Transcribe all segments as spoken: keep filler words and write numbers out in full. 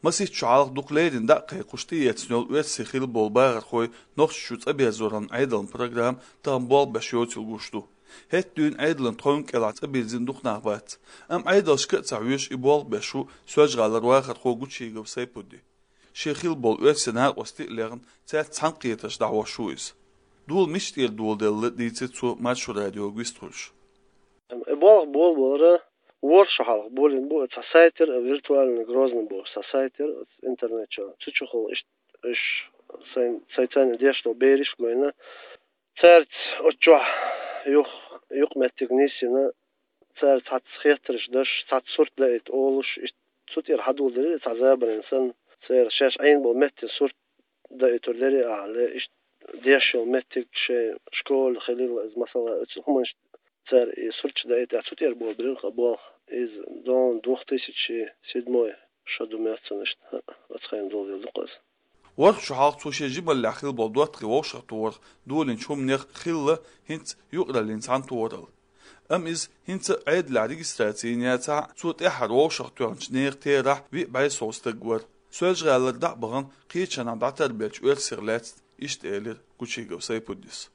Масийтта шу хьалха дукха леррина дӀа а кхайкхаш тӀаэцна йолу оьрсийн хилла болу бахархой Нохчийчу цӀа беззоран Ӏедалан программа тахана болх беш йоцийла гуш ду. ХӀетта дуьйна Ӏедалан тховна кӀелахь цӀа бирзина дукха нах бац. Амма Ӏедалшка а ца хьоьжуш и болх беш ву Соьлжа-ГӀалара вахархо Гучигов Сайпуди. Шен хилла болу оьрсийн накъостий а лехна, цаьрца цхьаьнакхетарш дӀахьош ву иза. Дола мича тӀера доладелла дийцира цо Маршо радиога вистхуьлуш. И болх болабалара ворхӀ шо хьалха болийна бу, цхьа сайтера, виртуальный Грозный бохуш цхьа сайтера, интернет чохь. Цу чухула иштта уьш сайн, сайн царна деш долу бераш а гойна, цаьрца оцу чохь юх-, юкъаметтиг нисйина, цаьрца цхьацца хеттарш даш, цхьацца сурт даийта олуш, иштта цу тӀера хьадоладелира цхьа забарина санна, церан шаьш Ӏийна болу меттан сурт даийтур дара ахьа, ле, иштта деш йолу меттиг шайн школа хилийла иза, масала, оцу хӀуманаш цара и сурташ даийтахь, цу тӀера болабелира хӀара болх. Иза дон двух тысячи седьмой шо ду моьтту сан иштта, оцу хенахь доладелла ду-кх иза. ВорхӀ шо хьалха цо шен жималлехь хилла болу доттагӀий вовшахтохарх долийначу хӀуманех хилла хӀинца юкъараллин цхьаьнатохаралла. Амма иза хӀинца а Ӏедалехь регистраци йина яцахь а, цо тӀаьххьара вовшахтоьхначу нехан терахь виъ бӀе сов стаг вара. Соьлжа-ГӀалара дӀа а бахана, кхечанхьа дӀатарбеллачу оьрсех лаьцна иштта элира Гучигов Сайпудис.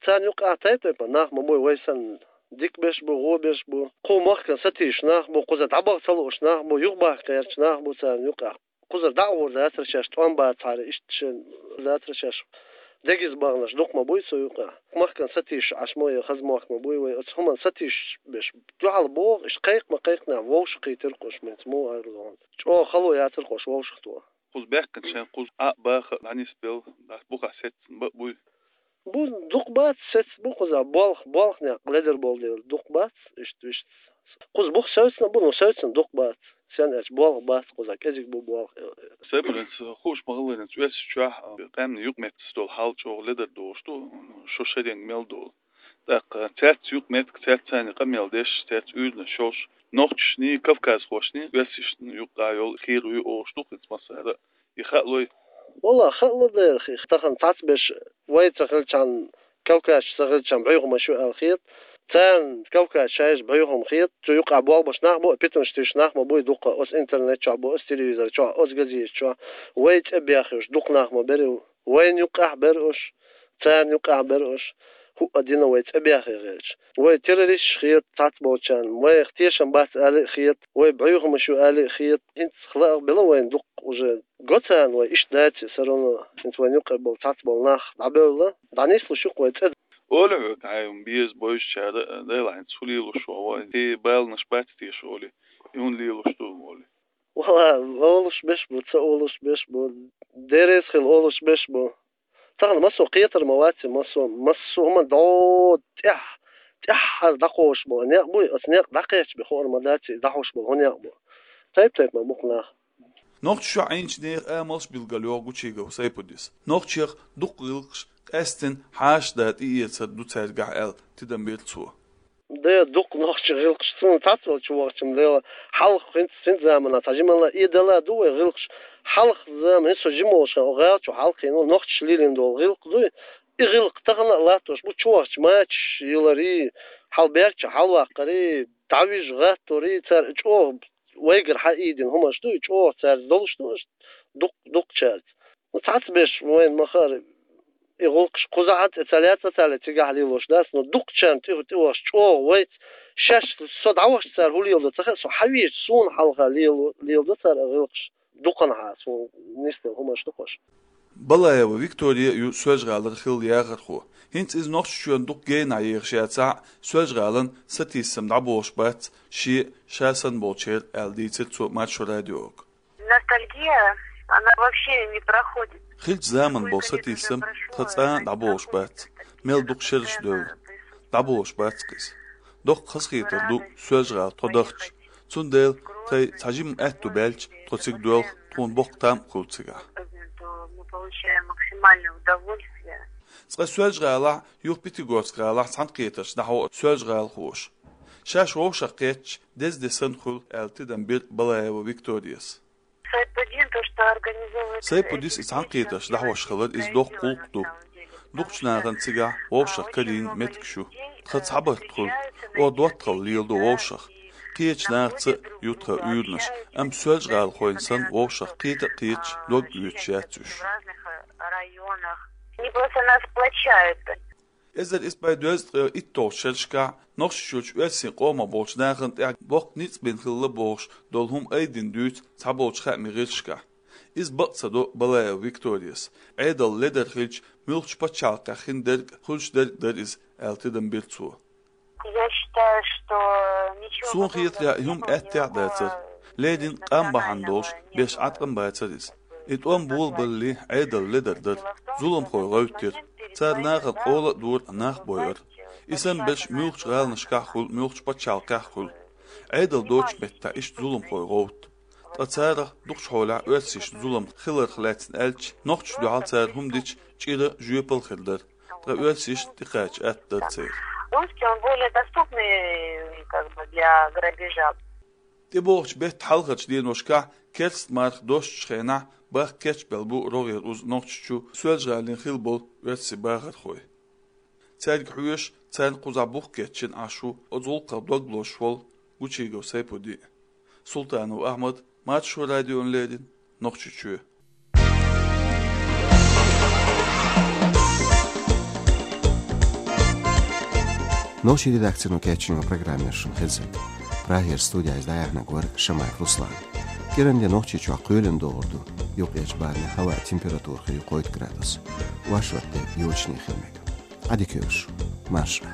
Царна юкъахь тайп-тайпана нах ма буй, вай санна, дика беш бу, вон беш бу. Кху махкана сатийсаш нах бу, кхузара дӀабаха ца лууш нах бу, юхабахка гӀерташ нах бу царна юкъахь. Кхузара дӀа а гӀур дацара шаьш, тӀом бацахьара, иштта шен дацара шаьш. Дегаза баханарш дукха ма буй цу юкъахь. Махкана сатийсаш Ӏаш ма, я хаза мохк ма буй вай, оцу хӀуманна сатийсаш беш. Дуьхьал боху, иштта кхайкха ма кхайкхинехь, вовшахкхийтира-кх уьш, меца муха аьлла. ЧӀогӀа хало яцара-кх уьш вовшахтоха. Кхуза баьхкина шайн кхуза Ӏа а баха а дӀанисбелла, дӀа бухахь сецна ба а буй. Бу дукха бац, сецна бу кхуза, болх, болх некъ ледара болу дела, дукха бац, иштта вуьшта. Кхуза бух севцна а бу, но севцна дукха бац. Сен аьлча, болх бац кхуза, кӀезиг бу болх. Сайпудис, хууш ма-хиллара, оьрсийчохь къаьмнийн юкъаметтигаш долу хьал чӀогӀа ледара долуш ду, шо шеран мел долу. ТӀаккха цаьрца юкъаметтиг, цаьрца царна къамел деш, цаьрца уьйраш йолуш, нохчашний, кавказхошний, оьрсашна юкъахь йолу хир ю олуш ду-кх хӀинца массара а. И хаалой? Валла, хаалла дера, хи-, тахана цхьацбеш вай ца хилчахьана, кавказча ца хилчахьана бӀуьйхамаш ю аьлла хета. Царна кавказчаша бӀуьйхам хета. Цу юкъахь болх беш нах бу, питанаш туьйсуш нах ма буй дукха, оцу интернет чохь бу, оцу телевизор чохь, оцу газета чохь. Вай цӀе бехйеш дукха нах ма бара. Вайна юкъахь бара уьш, царна юкъахь бара уьш, хӀуъа дина вай цӀе бехъе хилча. Вай террористаш хета цхьацболчарна, вайх тешам бац ала а хета, вай бӀуьйхамаш ю ала а хета, хӀинца хала а бела вайна дукха уже. Го царна вай иштта дац, всё равно хӀинца вайна юкъахь болу цхьацболу нах дӀабевлла, дӀанислуш ю-кх вай цӀе. Олий хьоьга, хьайн беза бевзачара, Дела, хӀинца хӀун лелош ву вай, те баланаш бац теша олий, и хӀунда лелош ду олий? Валла, олуш беш бу, ца олуш беш бу, деррис хила олуш беш бу. Тахана массо а кхетар ма вац, массо, массо а хӀума дӀо тӀехь-, тӀаьххьара дӀакхочуш болу некъ буй, оцу некъ дӀакхаьчча бен хуур ма дац, дӀахьош болу хӀун некъ бу. Тайп-тайпана бу-кх нах. Нохчийчохь Ӏийначу нехан амалш билгалйоху Гучигов Сайпудис. Нохчех дукха гӀиллакхаш къаьстина хьаша да тӀеэцар ду цаьргахь аьлла, тидам бира цо. Де, дукха нохчийн гӀиллакхаш, суна цхьацвелла чу вахча-м, дела, хьалха хӀинца, хӀинца заманахь цхьа жималла а, э, дала ду вай гӀиллакхаш. Хьалха заман, хӀинца со жима волуш хан, гӀала чу хьалха хиъна, нохчаша лелийна долу гӀиллакх дуй. И гӀиллакх тахана а латтош бу, чу вахча мачаш йиларий, хьал баьрча хьалваккхарий, дӀавижа гӀатторий, цара чӀогӀа вайгара хьаийдина хӀуманаш дуй, чӀогӀа цаьрца долуш ду, дукх-, дукхачаьрца. Ну, цхьацбеш вайна ма-хаара, и гӀуллакхаш кхузахь а тӀе ца лаьцна, ца ле цигахь лелош дац, но дукхачарна тӀе, тӀе вахча чӀогӀа вайца, шаьш со дӀавахча цара хӀун леладо ца хаьа, со хьавеча суна хьалха лело-, леладо цара а гӀиллакхаш, дукханхьа суна нисделла хӀуманаш ду-кх уьш. Балаева Виктория ю Соьлжа-ГӀалара хилла яхархо. ХӀинца иза Нохчийчоьнна дукха генахь ехаш яцахь а, Соьлжа-ГӀалана сатийсам дӀаболуш бац шен, ша санна болчеран аьлла, дийцира цо Маршо радиога. Ностальгия, она вообще не проходит. Хиллачу заманан болу сатийсам тхан цкъа а дӀаболуш бац. Мел дукха шераш девлла. ДӀаболуш бац-кх иза. Доккха хазахетар ду Соьлжа-ГӀала тхо дахча. Цундела тхайн цхьа жима аьтту баьлча, тхо цига доьлху, тхуна боккха там а хуьлу цигахь. Мы получаем максимальное удовольствие. Цкъа Соьлжа-ГӀалахь, юха Пятигорск-гӀалахь цхьаьнакхетарш дӀахьо Соьлжа-ГӀалахоша. Шаьш вовшах кхетча, деза де санна хуьлу, аьлла, тидам бира Балаева Викторияс. Сайпудис и цхьаьнакхетарш дӀахьош хилар иза доккха гӀуллакх ду. Дукхачу нахана цигахь вовшах карийна меттигаш ю. Тхан цхьабарт хуьлу, оха доттагӀалла леладо вовшах. Кхечу нахаца ю тхан уьйранаш, амма соьлжагӀалахойн санна вовшах кхета а кхеташ, дог оьцуш яц уьш. Не просто нас сплочают. Эзар исс бӀе дезткъе итталгӀачу шерашкахь Нохчийчоьнан оьрсийн къомах болчу нахана тӀехь боккха ницкъ бина хилла бохуш долу хӀума айдина дуьйцу цхьаболчу хаамийн гӀирсашкахь. Иза бакъ ца до Балаева Викторияс. Ӏедал ледара хилча, муьлххачу пачхьалкхехь хин дерг а, хуьлуш дерг а дара иза, аьлла тидам бира цо. Я считаю, что ничего подобного не было. Суна хетарехь, и хӀума аьттехьа а дацара. Леррина къам бахьана долуш, беш Ӏаткъам бацара иза. И тӀом болабалале, Ӏедал ледар дара. Зуламхой гӀевттира. Цара нахана къола а дора, нах а бойура. И санна берш муьлххачу гӀаланашкахь а хуьлу, муьлххачу пачхьалкхехь а хуьлу. Ӏедал доцучу меттехь иштта зуламхой гӀовтту. Ткъа царах дукхачу хьолехь оьрсашна зулам хиларх лаьцна аьлча, нохчашна дуьхьал цара хӀума дича, чӀира, жоьпалла хир дара. Ткъа оьрсашна тӀекхача атта дара церан. Русский, он более доступный, как бы, для грабежа. ТӀебогӀучу беттан хьалхарчу деношкахь керста марха доссучу хенахь бахка кечбелла бу рогӀера уза Нохчийчу Соьлжа-ГӀалин хилла болу оьрсийн бахархой. Цаьрга хьоьжуш, царна кхузахь бух кечйина Ӏаш ву оцу гӀуллакхах дог лозуш волу Гучигов Сайпудин. Султанов Ахьмад, Маршо радиона леррина, Нохчийчоь. Нохчийн редакцино кечйина программа шуна хезира. Прагера студехь иза дӀаяьхьнарг вара Шамаев Руслан. КӀиранде Нохчийчохь кхоьлина догӀур ду, юккъерчу барамехь хӀаваан температура хир ю кхойтта градус. Вайшотта йочане хила мега. Ӏадика йойла шу. Марша.